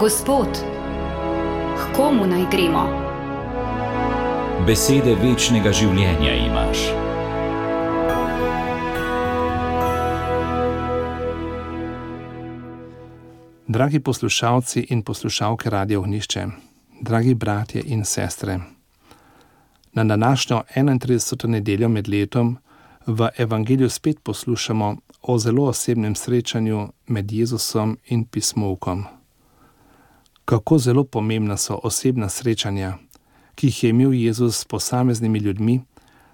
Gospod, k komu naj gremo? Besede večnega življenja imaš. Dragi poslušalci in poslušalke Radia Ognjišče, dragi bratje in sestre, na današnjo 31. nedeljo med letom v Evangeliju spet poslušamo o zelo osebnem srečanju med Jezusom in pismovkom. Kako zelo pomembna so osebna srečanja, ki jih je imel Jezus s posameznimi ljudmi,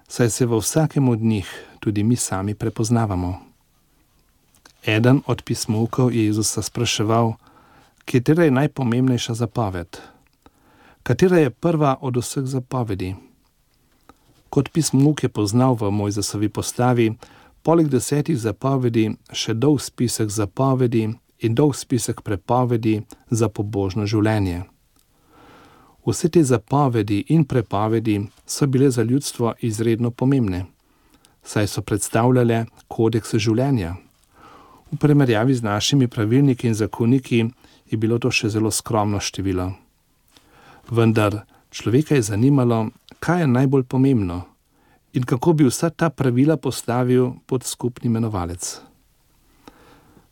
saj se v vsakem od njih tudi mi sami prepoznavamo. Eden od pismovkov je Jezusa spraševal, katera je najpomembnejša zapoved? Katera je prva od vseh zapovedi? Kot pismovk je poznal v Mojzesovi postavi, poleg 10 zapovedi, še dolg spisek zapovedi in dolg spisek prepovedi za pobožno življenje. Vse te zapovedi in prepovedi so bile za ljudstvo izredno pomembne, saj so predstavljale kodeks življenja. V primerjavi z našimi pravilniki in zakoniki je bilo to še zelo skromno število. Vendar človeka je zanimalo, kaj je najbolj pomembno in kako bi vsa ta pravila postavil pod skupni imenovalec.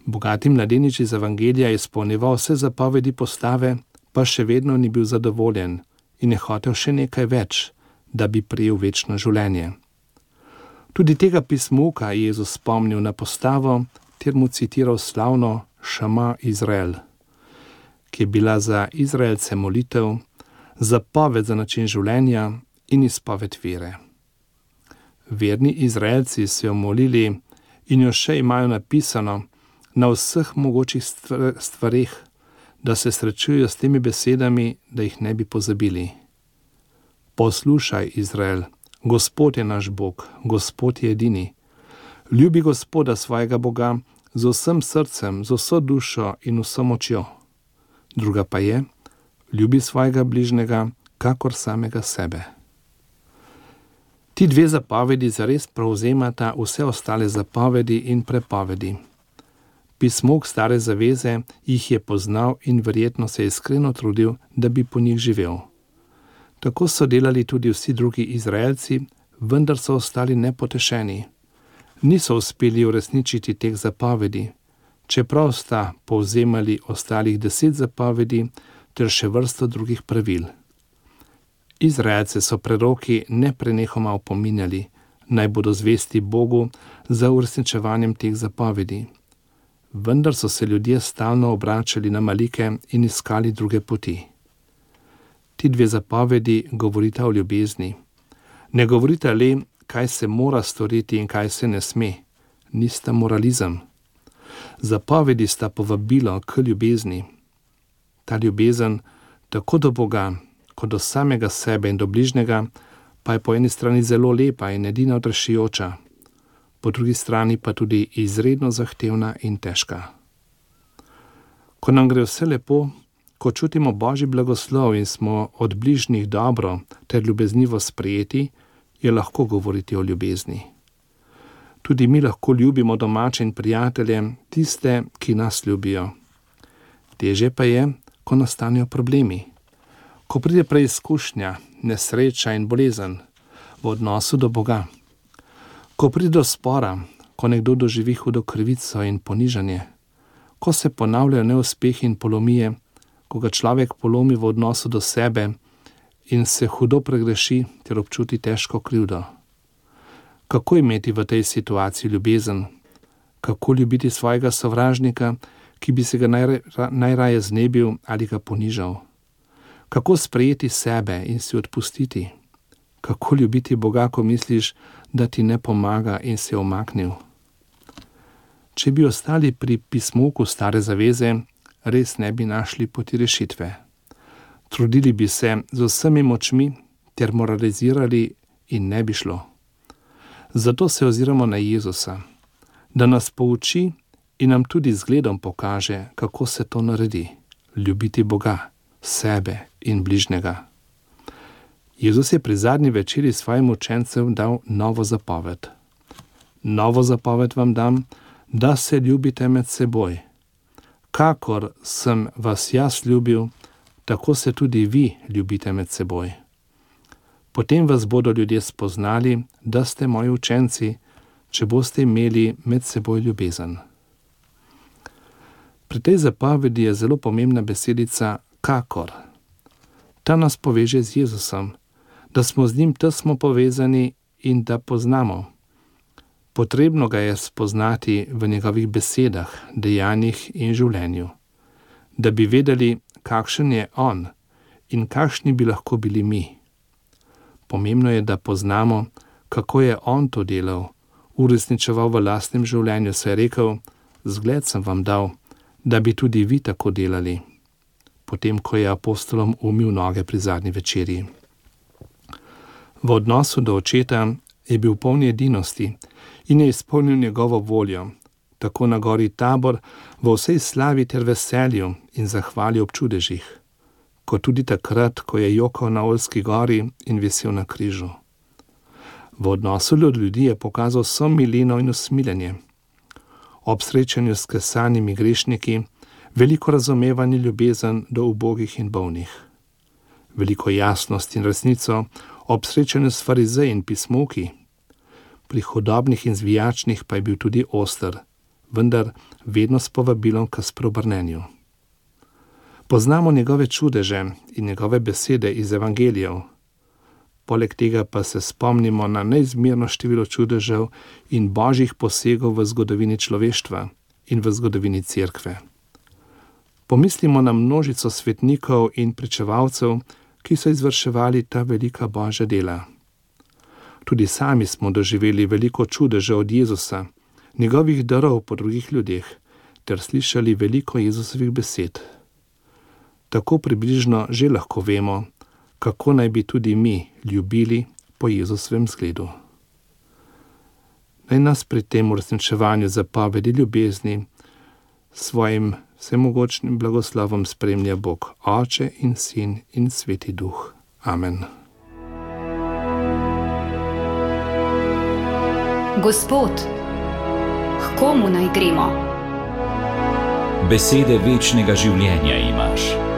Bogati mladenič iz Evangelija je izpolnjeval vse zapovedi postave, pa še vedno ni bil zadovoljen in je hotel še nekaj več, da bi prejel večno življenje. Tudi tega pismovka je Jezus spomnil na postavo, ter mu citiral slavno Šama Izrael, ki je bila za Izraelce molitev, zapoved za način življenja in izpoved vere. Verni Izraelci so jo molili in jo še imajo napisano na vseh mogočih stvareh, da se srečujejo s temi besedami, da jih ne bi pozabili. Poslušaj, Izrael, Gospod je naš Bog, Gospod je edini. Ljubi Gospoda svojega Boga z vsem srcem, z vso dušo in vso močjo. Druga pa je, ljubi svojega bližnjega, kakor samega sebe. Ti dve zapovedi zares prevzemata vse ostale zapovedi in prepovedi. Pismovk stare zaveze jih je poznal in verjetno se je iskreno trudil, da bi po njih živel. Tako so delali tudi vsi drugi Izraelci, vendar so ostali nepotešeni. Niso uspeli uresničiti teh zapovedi, čeprav sta povzemali ostalih 10 zapovedi ter še vrsto drugih pravil. Izraelce so preroki neprenehoma opominjali, naj bodo zvesti Bogu za uresničevanjem teh zapovedi. Vendar so se ljudje stalno obračali na malike in iskali druge poti. Ti dve zapovedi govorita o ljubezni. Ne govorita le, kaj se mora storiti in kaj se ne sme, nista moralizem. Zapovedi sta povabilo k ljubezni. Ta ljubezen, tako do Boga, kot do samega sebe in do bližnjega, pa je po eni strani zelo lepa in edina odrešujoča, po drugi strani pa tudi izredno zahtevna in težka. Ko nam gre vse lepo, ko čutimo Božji blagoslov in smo od bližnjih dobro ter ljubeznivo sprejeti, je lahko govoriti o ljubezni. Tudi mi lahko ljubimo domače in prijatelje, tiste, ki nas ljubijo. Težje pa je, ko nastanejo problemi. Ko pride preizkušnja, nesreča in bolezen v odnosu do Boga. Ko pride do spora, ko nekdo doživi hudo krivico in ponižanje. Ko se ponavljajo neuspehi in polomije, ko ga človek polomi v odnosu do sebe in se hudo pregreši ter občuti težko krivdo. Kako imeti v tej situaciji ljubezen? Kako ljubiti svojega sovražnika, ki bi se ga najraje znebil ali ga ponižal? Kako sprejeti sebe in si odpustiti? Kako ljubiti Boga, ko misliš, da ti ne pomaga in se je umaknil? Če bi ostali pri pismovku stare zaveze, res ne bi našli poti rešitve. Trudili bi se z vsemi močmi ter moralizirali in ne bi šlo. Zato se oziramo na Jezusa, da nas pouči in nam tudi zgledom pokaže, kako se to naredi. Ljubiti Boga, sebe in bližnjega. Jezus je pri zadnji večeri svojim učencem dal novo zapoved. Novo zapoved vam dam, da se ljubite med seboj. kakor sem vas jaz ljubil, tako se tudi vi ljubite med seboj. Potem vas bodo ljudje spoznali, da ste moji učenci, če boste imeli med seboj ljubezen. Pri tej zapovedi je zelo pomembna besedica kakor. Ta nas poveže z Jezusom, da smo z njim tesno povezani in da poznamo. Potrebno ga je spoznati v njegovih besedah, dejanjih in življenju, da bi vedeli, kakšen je on in kakšni bi lahko bili mi. Pomembno je, da poznamo, kako je on to delal, uresničeval v lastnem življenju, saj je rekel, zgled sem vam dal, da bi tudi vi tako delali, potem ko je apostolom umil noge pri zadnji večerji. V odnosu do očeta je bil poln edinosti in je izpolnil njegovo voljo, tako na gori Tabor v vsej slavi ter veselju in zahvali ob čudežih, kot tudi takrat, ko je jokal na Oljski gori in visel na križu. V odnosu do ljudi je pokazal vso milino in usmiljenje. Ob srečanju s kesanimi grešniki, veliko razumevanje, ljubezen do ubogih in bolnih. Veliko jasnost in resnico ob srečanju s farizeji in pismovki. Pri hudobnih in zvijačnih pa je bil tudi oster, vendar vedno s povabilom k spreobrnenju. Poznamo njegove čudeže in njegove besede iz evangelijev. Poleg tega pa se spomnimo na neizmerno število čudežev in božjih posegov v zgodovini človeštva in v zgodovini cerkve. Pomislimo na množico svetnikov in pričevalcev, ki so izvrševali ta velika božja dela. Tudi sami smo doživeli veliko čudežev od Jezusa, njegovih darov po drugih ljudeh, ter slišali veliko Jezusovih besed. Tako približno že lahko vemo, kako naj bi tudi mi ljubili po Jezusovem zgledu. Naj nas pri tem uresničevanju zapovedi ljubezni svojim vsemogočnim blagoslovom spremlja Bog, Oče in Sin in Sveti Duh. Amen. Gospod, h komu naj gremo? Besede večnega življenja imaš.